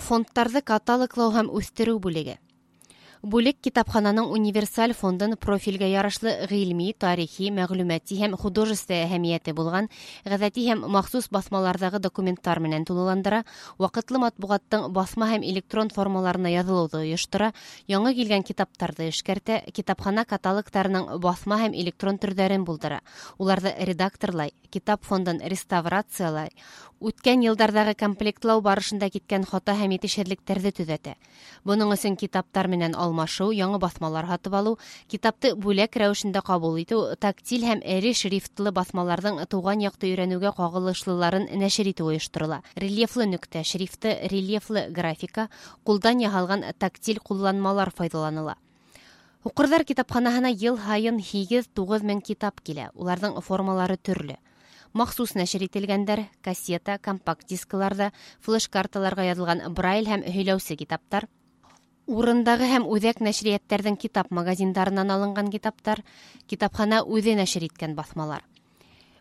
Фондтарҙы каталоглау һәм үҫтереү бүлеге. Бүлек китапхананың универсаль фондын профилгә ярашлы ғилми, тарихи, мәғлүмәти һәм художество әһәмиәте булған ғәҙәти һәм махсус баҫмаларҙағы документтар менән тулыландыра, ваҡытлы матбуғаттың баҫма һәм электрон формаларына яҙылыуҙы ойоштора, яңы килгән китаптарҙы эшкәртә, китапхана каталогтарының баҫма һәм электрон төрҙәрен булдыра, уларҙы редакторлай, китап фондын реставрациялай, үткән йылдарҙағы комплектлау барышында киткән хата һәм етешһеҙлектәрҙе төҙәтә. Бының өсөн китаптар менән алмашыу, яңы баҫмалар һатып алыу, китапты бүләк рәүешендә ҡабул итеү, тактиль һәм эре шрифтлы баҫмаларҙың тыуған яҡты өйрәнеүгә ҡағылышлыларын нәшер итеү ойошторола. Рельефлы нөктә шрифты, рельефлы графика, ҡулдан яһалған тактиль ҡулланмалар файҙаланыла. Һуҡырҙар китапханаһына йыл һайын 8-9 мең китап килә. Уларҙың формалары төрлө. Махсус нәшер ителгәндәр, кассета, компакт дискаларҙа, флеш-карталарға яҙылған Брайль һәм һөйләүсе китаптар, урындағы һәм үҙәк нәшриәттәрҙең китап магазиндарынан алынған китаптар, китапхана үҙе нәшер иткән баҫмалар.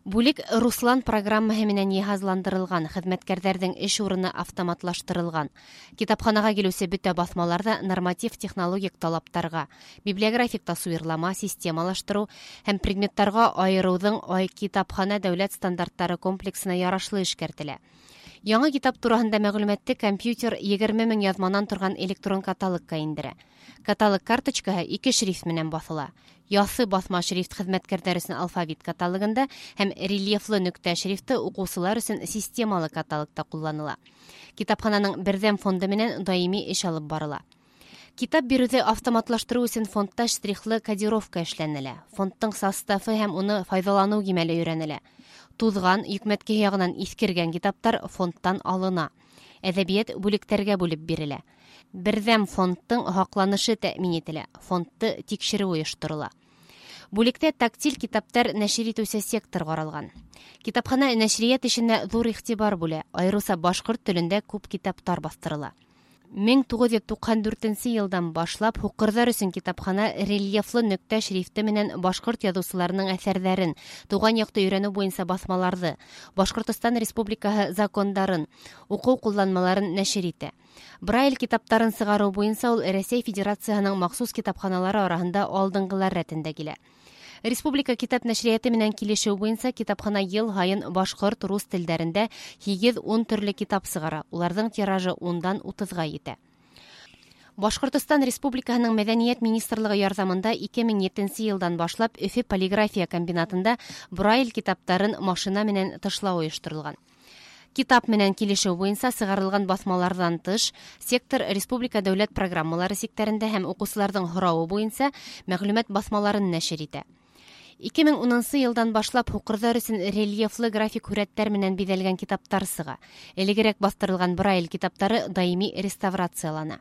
Бүлек Руслан программаһы менән йыһазландырылған, хеҙмәткәрҙәрҙең эш урыны автоматлаштырылған. Китапханаға килеүсе бөтә баҫмалар ҙа норматив технологик талаптарға, библиографик тасуирлама, системалаштырыу һәм предметтарға айырыуҙың ай китапхана дәүләт стандарттары комплексына ярашлы эшкәртелә. Яңы китап тураһында мәғлүмәтте компьютер 20 мең яҙманан торған электрон каталогка индерә. Каталог карточкаһы ике шрифт менән баҫыла. Яҫы баҫма шрифт хеҙмәткәрҙәр өсөн алфавит каталогында һәм рельефлы нөктә шрифты уҡыусылар өсөн системалы каталогта ҡулланыла. Китапхананың берҙәм фонды менән даими эш алып барыла. Китап биреүҙе автоматлаштырыу өсөн фондта штрихлы кодировка эшләнелә. Фондтың составы һәм уны файҙаланыу кимәле өйрәнелә. Туҙған, йөкмәткеһе яғынан иҫкергән китаптар фондтан алына. Әҙәбиәт бүлектәргә бүлеп бирелә. Берҙәм фондтың һаҡланышы тәьмин ителә. Фондты тикшереү ойошторола. Бүлектә тактиль китаптар нәшер итеүсе сектор ҡаралған. Китапхана нәшриәт эшенә ҙур иғтибар бүлә. Айырыуса башҡорт телендә күп китаптар баҫтырыла. 1994 йылдан башлап һуҡырҙар өсөн китапхана рельефлы нөктә шрифты менән башҡорт яҙыусыларының әҫәрҙәрен, тыуған яҡты өйрәнеү буйынса баҫмаларҙы, Башҡортостан Республикаһы закондарын, уҡыу ҡулланмаларын нәшер итә. Брайль китаптарын сығарыу буйынса ул Рәсәй Федерацияһының махсус китапханалары араһында алдынғылар рәтендә килә. Республика китап нәшриәте менән килешеү буйынса китапхана йыл һайын башҡорт, рус телдәрендә 8-10 төрлө китап сығара. Уларҙың тиражы 10-дан 30-ға етә. Башҡортостан Республикаһының Мәҙәниәт министрлығы ярҙамында 2007 йылдан башлап Өфө полиграфия комбинатында Брайль китаптарын машина менән тышлау ойошторолған. Китап менән килешеү буйынса сығарылған баҫмаларҙан тыш, сектор республика дәүләт программалары сиктәрендә һәм уҡыусыларҙың һорауы буйынса мәғлүмәт баҫмаларын нәшер итә. 2010 йылдан башлап һуҡырҙар өсөн рельефлы график һүрәттәр менән биҙәлгән китаптар сыға. Элегерәк баҫтырылған Брайль китаптары даими реставрациялана.